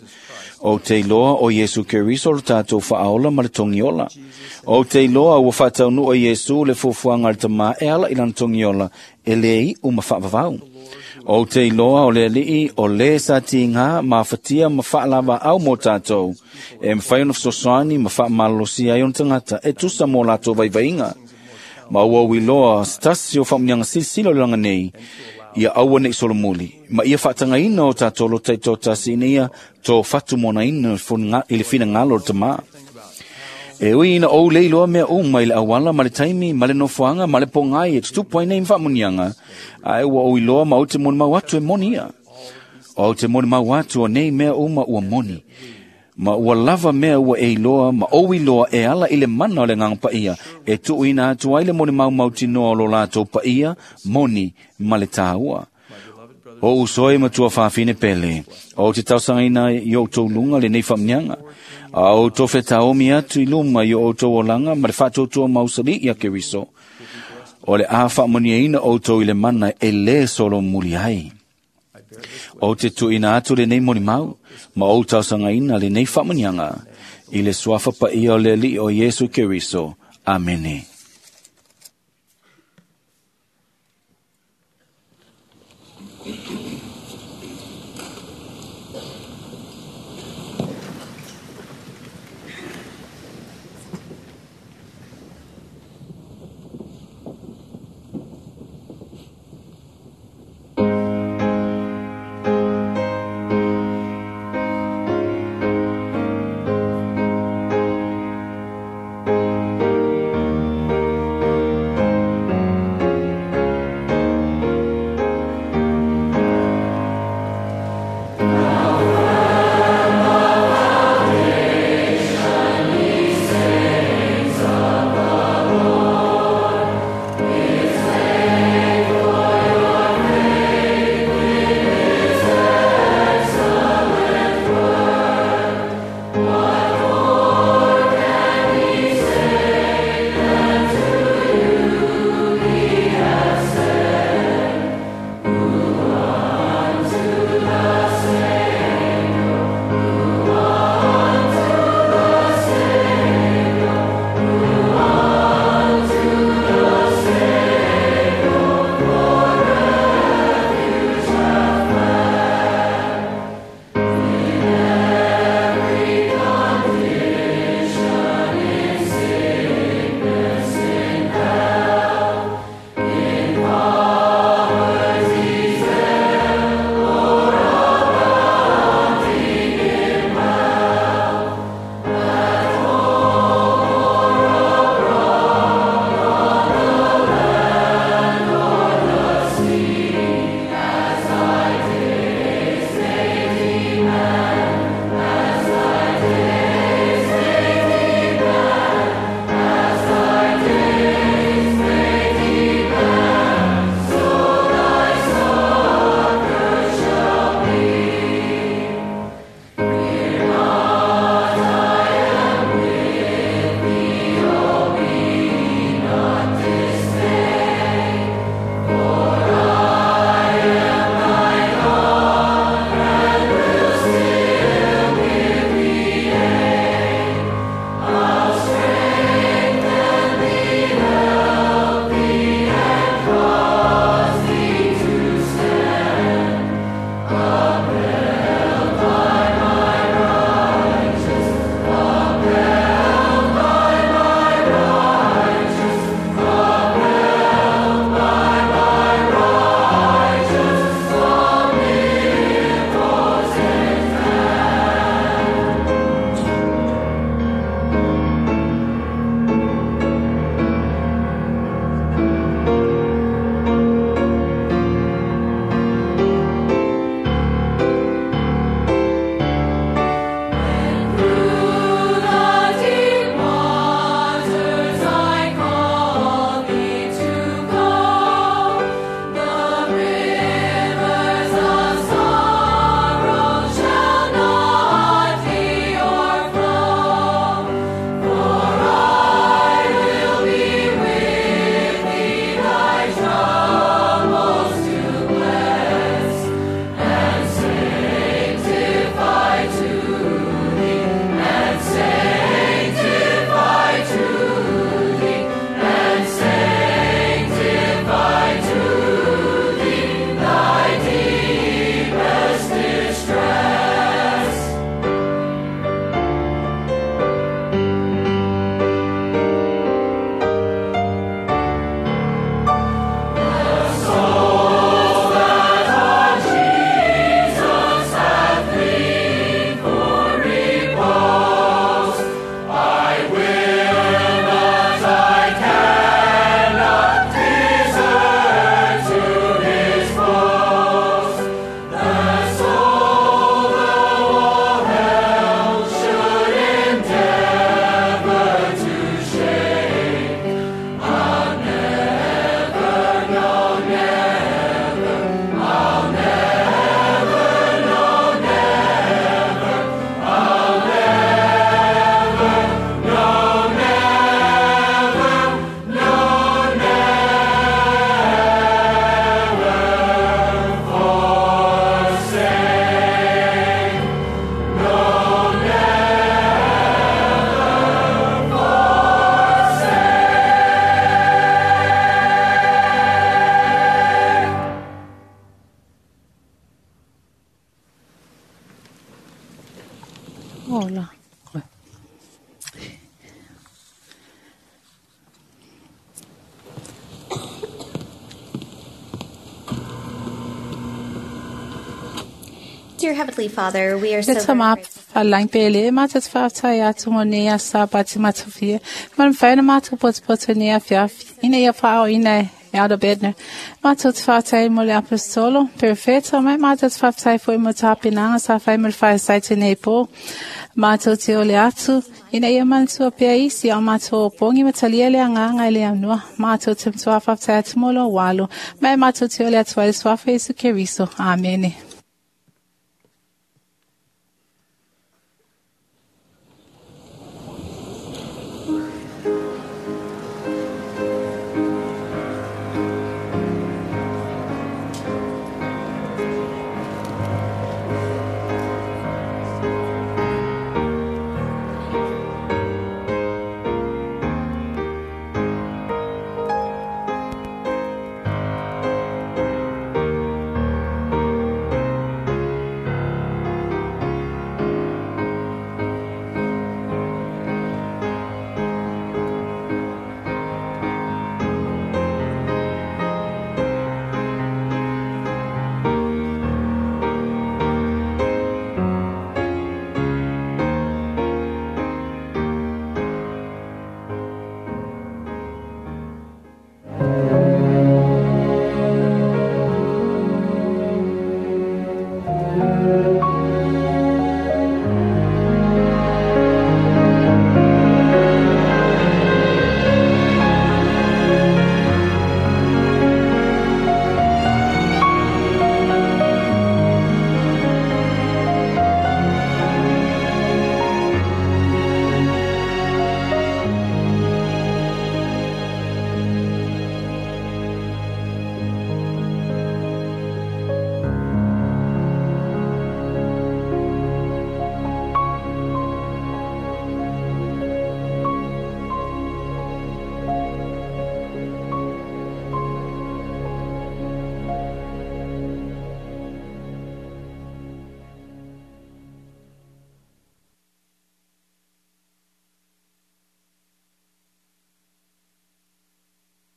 Ou te iloa o Iesu Keriso o le tatou faaola ma le togiola. Ou te iloa ua faataunuu e Iesu le fuafuaga a le tamā e ala i lana togiola e lē iʻu ma faavavau. O te iloa o le alii o lē sa tigā mafatia ma faalavaau mo tatou, e mafai ona fesoasoani ma faamalolosia ai ona tagata e tusa mo latou vaivaiga. Ma ua ou iloa se tasi o faamuniaga silasila o le laga nei, ia aua nei solomuli, ma ia faatagaina o tatou lota i toatasi ina ia tofatumonaina i le finagalo o le Tamā. E ui ina ou le iloa mea uma i le auala ma le taimi ma le nofoaga ma le pogai e tutupu ai nei ma faamuniaga, ae ua ou iloa ma ou te molimau atu e moni ia. O ou te molimau atu o nei mea uma ua moni, ma ua lava mea ua e iloa ma ou iloa e ala i le mana o le Agaga Paia e tuuina atu ai le molimau mautinoa o lo latou paia, moni ma le tāua. O uso e matua fafine pele, o te tausagaina i outou luga lenei faamuniaga, a o outou fetaomi atu i luma i o outou olaga ma le faatuatua mausali ia Keriso, o le a faamuniaina outou i le mana e lē solomuli ai. O te tuuina atu lenei molimau, ma ou tausagaina lenei faamuniaga, i le suafa paia o le Alii o Iesu Keriso. Amene. Ola. Dear Heavenly Father, we are so Le tama very grateful whalang pele, mata te whaatai atu mo nei a sa pati matawhia. Man whaina mātou potopoto nei a fiafi. Ina ia whaao ina e Elder Bednar. Mātou te whaatai mo le apostolo, perfecto, mai mātou te whaatai fo i mo tāpinanga sa whai mo le whaasai te nei pō. Mātou te ole atu, ina ia mantua pea isi au mātou o pongi matalia le anganga i le anua. Mātou te mtua whaatai atu mo lo walo. Mai mātou te ole atu ai le swafa Yesu Keriso. Amene.